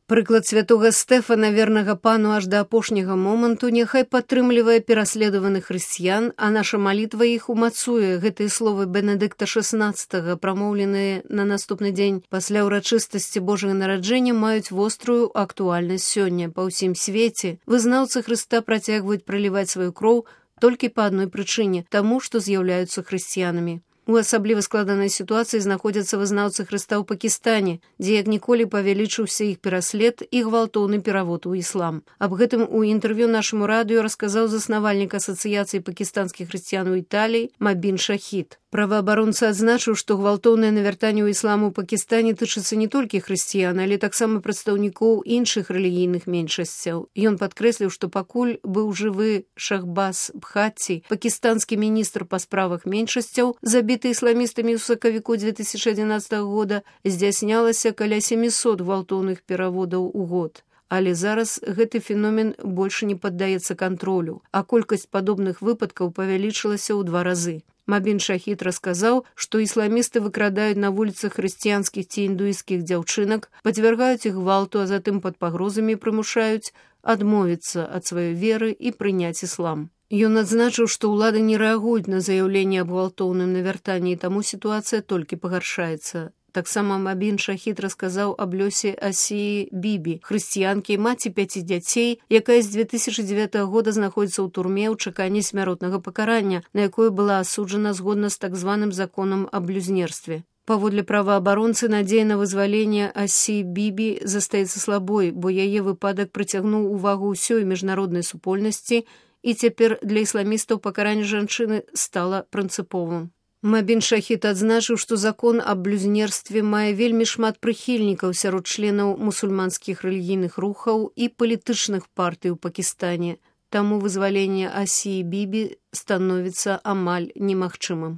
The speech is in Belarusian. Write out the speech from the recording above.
Прыклад святога Стэфана, вернага пану аж да апошняга моманту, няхай падтрымлівае пераследаваных хрысціян, а наша малітва іх умацуе. Гэтыя словы Бенедыкта XVI, прамоўленыя на наступны дзень пасля ўрачыстасці Божага нараджэння, маюць вострую актуальнасць сёння. Па ўсім свеце вызнаўцы Хрыста працягваюць праліваць сваю кроў толькі па адной прычыне – таму, што з'яўляюцца хрысціянамі. У асабліва складанай сітуацыі знаходзяцца вызнаўцы Хрыста ў Пакістане, дзе як ніколі павялічыўся іх пераслед і гвалтоўны перавод у іслам. Аб гэтым у інтэрв'ю нашаму радыё расказаў заснавальнік Асацыяцыі пакістанскіх хрысціян у Італіі Мабін Шахід. Праваабаронца адзначыў, што гвалтоўнае навяртанне ў іслам у Пакістане тычыцца не толькі хрысціян, але таксама прадстаўнікоў іншых рэлігійных меншасцяў. Ён падкрэсліў, што пакуль быў жывы Шахбаз Бхатці, пакістанскі міністр па справах меншасцяў, забіты ісламістамі ў сакавіку 2011 года, здзяйснялася каля 700 гвалтоўных пераводаў у год. Але зараз гэты феномен больше не паддаецца кантролю, а колькасць падобных выпадкаў павялічылася ў 2 разы. Мабін Шахід расказаў, што ісламісты выкрадаюць на вуліцах хрысціянскіх ці індуісцкіх дзяўчынак, падвяргаюць іх гвалту, а затым пад пагрозамі прымушаюць адмовіцца ад сваёй веры і прыняць іслам. Ён адзначыў, што ўлады не рэагуюць на заяўленне аб гвалтоўным навяртанні, і таму сітуацыя толькі пагаршаецца. Таксама Мабін Шахід расказаў аб лёсе Асіі Бібі, хрысціянкі, маці 5 дзяцей, якая з 2009 года знаходзіцца ў турме ў чаканні смяротнага пакарання, на якое была асуджана згодна з так званым законам аб блюзнерстве. Паводле праваабаронцы, надзея на вызваленне Асіі Бібі застаецца слабой, бо яе выпадак прыцягнуў увагу ўсёй міжнароднай супольнасці, і цяпер для ісламістаў пакаранне жанчыны стала прынцыповым. Мабін Шахід адзначыў, што закон аб блюзнерстве мае вельмі шмат прыхільнікаў сярод членаў мусульманскіх рэлігійных рухаў і палітычных партый у Пакістане, таму вызваленне Асіі Бібі становіцца амаль немагчымым.